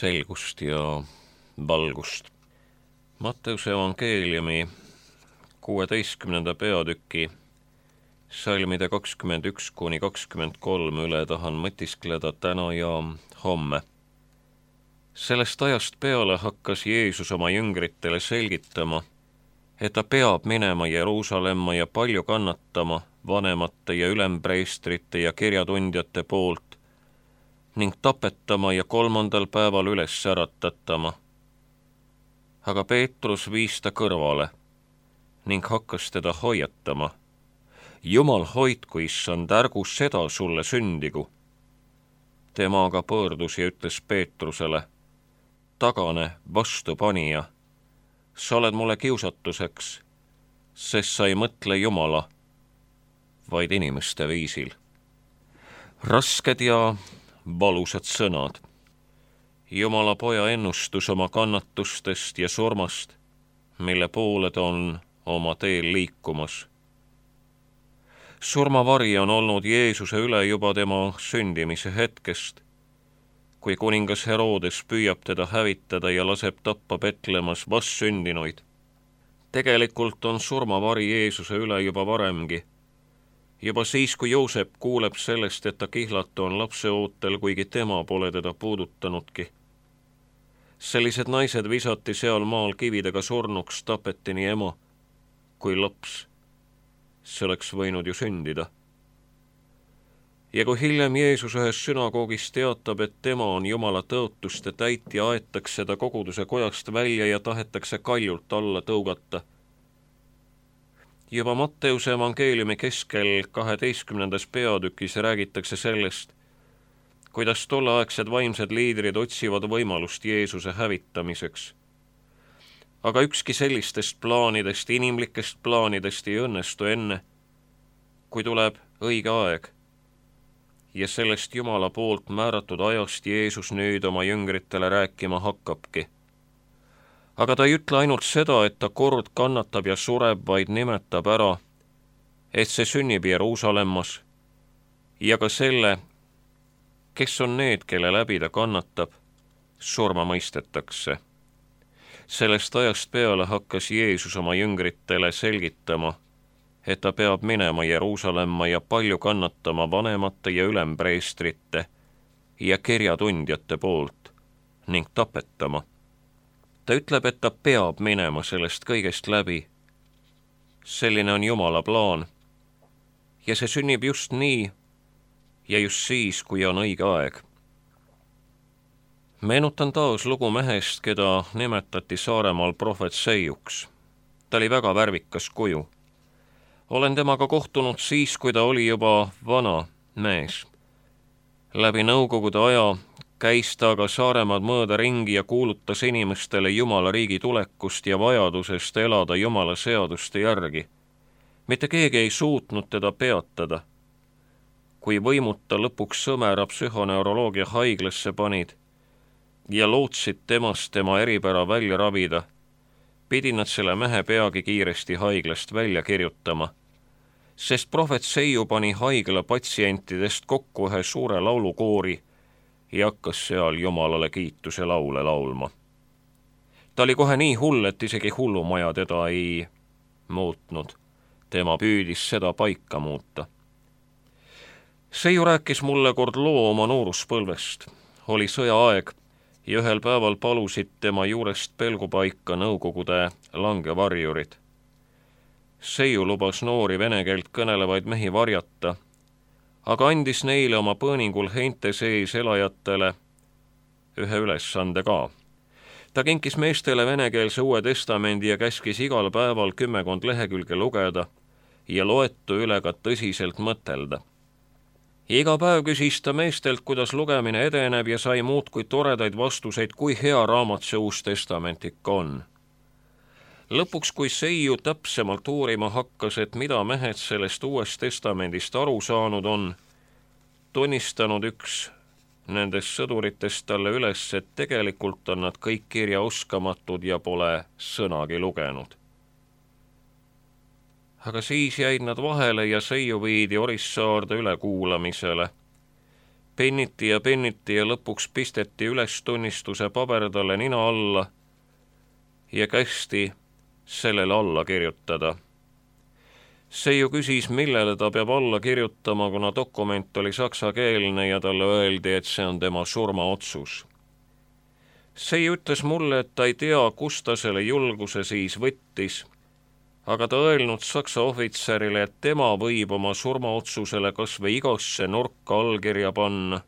selgust ja valgust. Matteuse evangeeliumi 16. peatüki salmide 21–23 üle tahan mõtiskleda täna ja homme. Sellest ajast peale hakkas Jeesus oma jüngritele selgitama, et ta peab minema Jeruusalemma ja palju kannatama vanemate ja ülempreestrite ja kirjatundjate poolt ning tapetama ja 3. päeval üles äratatama. Aga Peetrus viis ta kõrvale ning hakkas teda hoiatama. Jumal hoidku, issand, ärgu seda sulle sündigu. Tema aga pöördus ja ütles Peetrusele: tagane, vastupanija, sa oled mulle kiusatuseks, sest sa ei mõtle Jumala, vaid inimeste viisil. Rasked ja valusad sõnad. Jumala poja ennustus oma kannatustest ja surmast, mille poole ta on oma teel liikumas. Surmavari on olnud Jeesuse üle juba tema sündimise hetkest, kui kuningas Herodes püüab teda hävitada ja laseb tappa Betlemas vastsündinuid. Tegelikult on surmavari Jeesuse üle juba varemgi. Juba siis, kui Joosep kuuleb sellest, et ta kihlatu on lapse ootel, kuigi tema pole teda puudutanudki. Sellised naised visati seal maal kividega surnuks, tapeti nii ema kui laps. See oleks võinud ju sündida. Ja kui hiljem Jeesus ühes sünagoogis teatab, et tema on Jumala tõotuste täitja, aetakse ta koguduse kojast välja ja tahetakse kaljult alla tõugata. Juba Matteuse evangeeliumi keskel 12. peatükis räägitakse sellest, kuidas tolleaegsed vaimsed liidrid otsivad võimalust Jeesuse hävitamiseks. Aga ükski sellistest plaanidest, inimlikest plaanidest ei õnnestu enne, kui tuleb õige aeg. Ja sellest Jumala poolt määratud ajast Jeesus nüüd oma jüngritele rääkima hakkabki. Aga ta ei ütle ainult seda, et ta kord kannatab ja sureb, vaid nimetab ära, et see sünnib Jeruusalemmas ja ka selle, kes on need, kelle läbi ta kannatab, surma mõistetakse. Sellest ajast peale hakkas Jeesus oma jüngritele selgitama, et ta peab minema Jeruusalemma ja palju kannatama vanemate ja ülempreestrite ja kirjatundjate poolt ning tapetama. Ta ütleb, et ta peab minema sellest kõigest läbi. Selline on Jumala plaan. Ja see sünnib just nii ja just siis, kui on õige aeg. Meenutan taas lugu mehest, keda nimetati Saaremaal prohvet Seijuks. Ta oli väga värvikas kuju. Olen temaga kohtunud siis, kui ta oli juba vana mees. Läbi nõukogude aja käis ta aga Saaremaad mööda ringi ja kuulutas inimestele Jumala riigi tulekust ja vajadusest elada Jumala seaduste järgi. Mitte keegi ei suutnud teda peatada. Kui võimuta lõpuks Sõmera psühhoneuroloogia haiglasse panid ja lootsid temast tema eripära välja ravida, pidi nad selle mehe peagi kiiresti haiglast välja kirjutama, sest prohvet Seiu pani haigla patsientidest kokku ühe suure laulukoori ja hakkas seal Jumalale kiituse laule laulma. Ta oli kohe nii hull, et isegi hullumaja teda ei muutnud. Tema püüdis seda paika muuta. Seiu rääkis mulle kord loo oma nooruspõlvest. Oli sõjaaeg ja ühel päeval palusid tema juurest pelgupaika nõukogude langevarjurid. Seiu lubas noori vene keelt kõnelevaid mehi varjata, aga andis neile oma põõningul heinte sees elajatele ühe ülesande ka. Ta kinkis meestele venekeelse Uue Testamendi ja käskis igal päeval 10 lehekülge lugeda ja loetu üle ka tõsiselt mõtelda. Iga päev küsis ta meestelt, kuidas lugemine edeneb ja sai muudkui toredaid vastuseid, kui hea raamat see Uus Testament ikka on. Lõpuks, kui Seiu täpsemalt uurima hakkas, et mida mehed sellest Uuest Testamendist aru saanud on, tunnistanud üks nendest sõduritest talle üles, et tegelikult on nad kõik kirjaoskamatud ja pole sõnagi lugenud. Aga siis jäid nad vahele ja Seiu viidi Orissaarde ülekuulamisele. penniti ja lõpuks pisteti ülestunnistuse paber talle nina alla ja kästi sellele alla kirjutada. Seiu küsis, millele ta peab alla kirjutama, kuna dokument oli saksakeelne ja talle öeldi, et see on tema surmaotsus. Seiu ütles mulle, et ta ei tea, kust ta selle julguse siis võttis, aga ta öelnud saksa ohvitserile, et tema võib oma surmaotsusele kas või igasse nurka allkirja panna,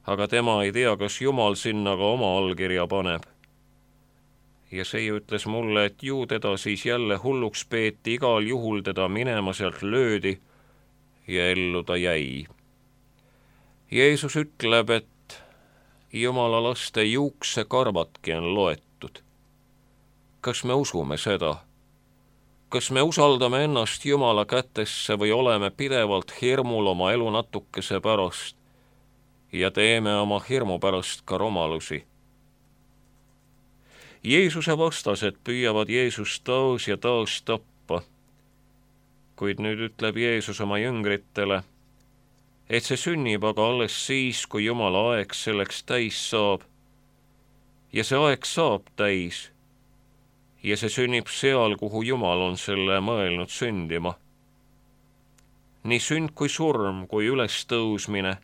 aga tema ei tea, kas Jumal sinna ka oma allkirja paneb. Ja Seiu ütles mulle, et ju teda siis jälle hulluks peeti, igal juhul teda minema sealt löödi ja ellu ta jäi. Jeesus ütleb, et Jumala laste juuksekarvatki on loetud. Kas me usume seda? Kas me usaldame ennast Jumala kätesse või oleme pidevalt hirmul oma elu natukese pärast ja teeme oma hirmu pärast ka rumalusi? Jeesuse vastased püüavad Jeesust taas ja taas tappa, kuid nüüd ütleb Jeesus oma jüngritele, et see sünnib aga alles siis, kui Jumala aeg selleks täis saab. Ja see aeg saab täis. Ja see sünnib seal, kuhu Jumal on selle mõelnud sündima. Nii sünd kui surm, kui ülestõusmine,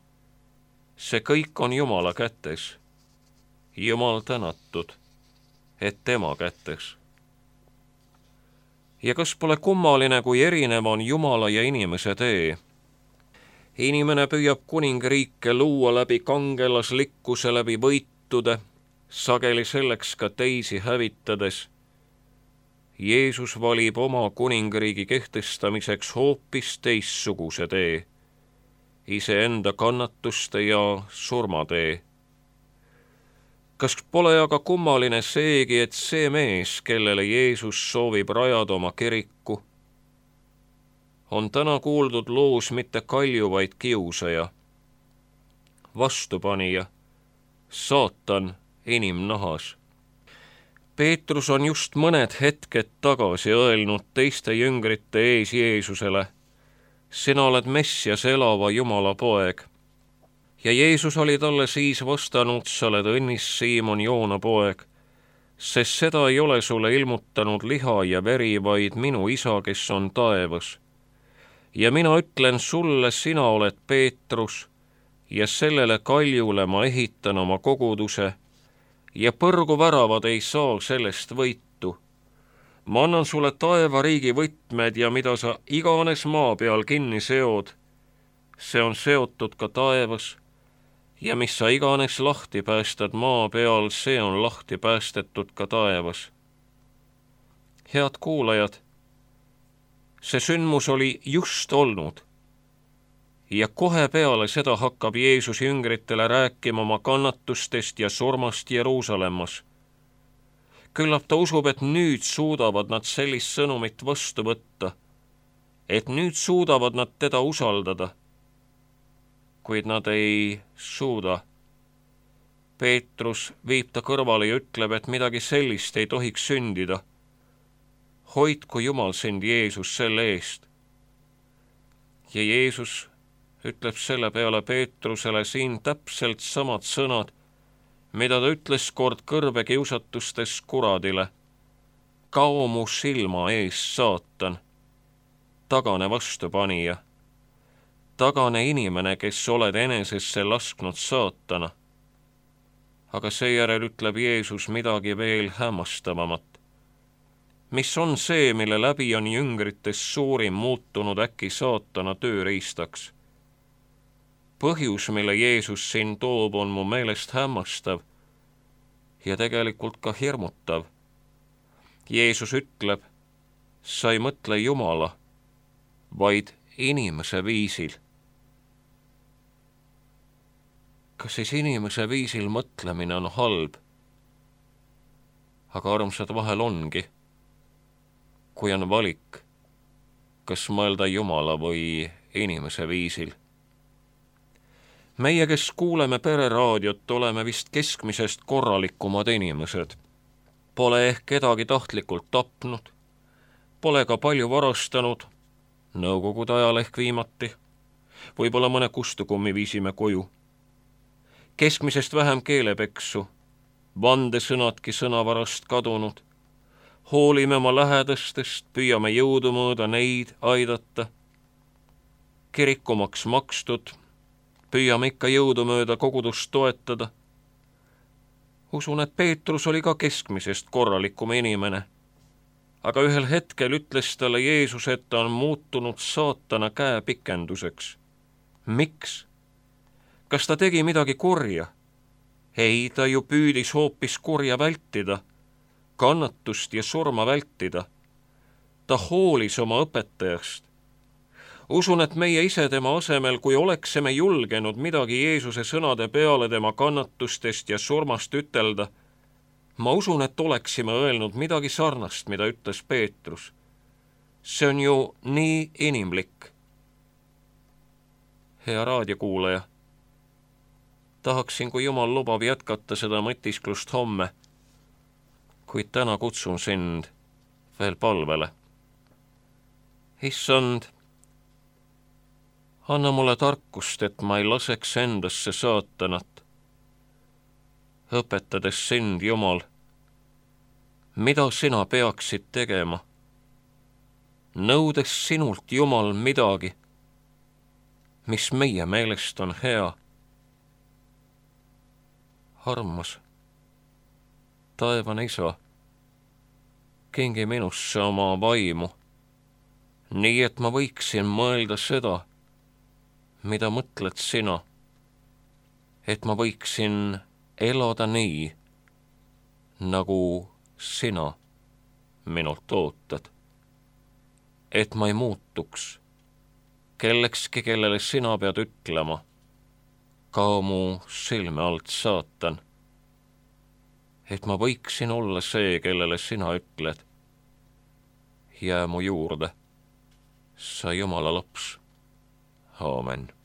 see kõik on Jumala kätes. Jumal tänatud, et tema kätes. Ja kas pole kummaline, kui erinev on Jumala ja inimese tee? Inimene püüab kuningriike luua läbi kangelaslikkuse, läbi võitude, sageli selleks ka teisi hävitades. Jeesus valib oma kuningriigi kehtestamiseks hoopis teistsuguse tee, iseenda kannatuste ja surmatee. Kas pole aga kummaline seegi, et see mees, kellele Jeesus soovib rajada oma kiriku, on täna kuuldud loos mitte kalju, vaid kiusaja, vastupanija, saatan inimnahas. Peetrus on just mõned hetked tagasi öelnud teiste jüngrite ees Jeesusele, sina oled Messias, elava Jumala poeg. Ja Jeesus oli talle siis vastanud, sa oled õnnis, Siimon, Joona poeg, sest seda ei ole sulle ilmutanud liha ja veri, vaid minu isa, kes on taevas. Ja mina ütlen sulle, sina oled Peetrus, ja sellele kaljule ma ehitan oma koguduse, ja põrguväravad ei saa sellest võitu. Ma annan sulle taevariigi võtmed ja mida sa iganes maa peal kinni seod, see on seotud ka taevas, ja mis sa iganes lahti päästad maa peal, see on lahti päästetud ka taevas. Head kuulajad, see sündmus oli just olnud ja kohe peale seda hakkab Jeesus jüngritele rääkima oma kannatustest ja surmast Jeruusalemmas. Küllap ta usub, et nüüd suudavad nad sellist sõnumit vastu võtta, et nüüd suudavad nad teda usaldada, kuid nad ei suuda. Peetrus viib ta kõrvale ja ütleb, et midagi sellist ei tohiks sündida. Hoidku Jumal sind, Jeesus, selle eest. Ja Jeesus ütleb selle peale Peetrusele siin täpselt samad sõnad, mida ta ütles kord kõrvekiusatustes kuradile. Kao mu silma ees, saatan, tagane vastupanija, tagane inimene, kes oled enesesse lasknud saatana. Aga seejärel ütleb Jeesus midagi veel hämmastavamat. Mis on see, mille läbi on jüngrites suurim muutunud äkki saatana tööriistaks? Põhjus, mille Jeesus siin toob, on mu meelest hämmastav ja tegelikult ka hirmutav. Jeesus ütleb, sa ei mõtle Jumala, vaid inimese viisil. Kas siis inimese viisil mõtlemine on halb? Aga armsad, vahel ongi, kui on valik, kas mõelda Jumala või inimese viisil. Meie, kes kuuleme pereraadiot, oleme vist keskmisest korralikumad inimesed. Pole ehk kedagi tahtlikult tapnud, pole ka palju varastanud, nõukogude ajal ehk viimati, võib-olla mõne kustukummi viisime koju. keskmisest vähem keelepeksu, vandesõnadki sõnavarast kadunud. Hoolime oma lähedastest, püüame jõudumööda neid aidata. Kirikumaks makstud, püüame ikka jõudumööda kogudust toetada. Usun, et Peetrus oli ka keskmisest korralikum inimene, aga ühel hetkel ütles talle Jeesus, et ta on muutunud saatana käepikenduseks. Miks? Kas ta tegi midagi kurja? Ei, ta ju püüdis hoopis kurja vältida, kannatust ja surma vältida. Ta hoolis oma õpetajast. Usun, et meie ise tema asemel, kui oleksime julgenud midagi Jeesuse sõnade peale tema kannatustest ja surmast ütelda, ma usun, et oleksime öelnud midagi sarnast, mida ütles Peetrus. See on ju nii inimlik. Hea raadiokuulaja, tahaksin, kui Jumal lubab jätkata seda mõtisklust homme, kuid täna kutsun sind veel palvele. Issand, anna mulle tarkust, et ma ei laseks endasse saatanat, õpetades sind, Jumal, mida sina peaksid tegema, nõudes sinult, Jumal, midagi, mis meie meelest on hea. Armas, taevane Isa, kingi minusse oma vaimu, nii et ma võiksin mõelda seda, mida mõtled sina, et ma võiksin elada nii, nagu sina minult ootad, et ma ei muutuks kellekski, kellele sina pead ütlema, kao mu silme alt, saatan, et ma võiksin olla see, kellele sina ütled, jää mu juurde, sa Jumala laps. Aamen.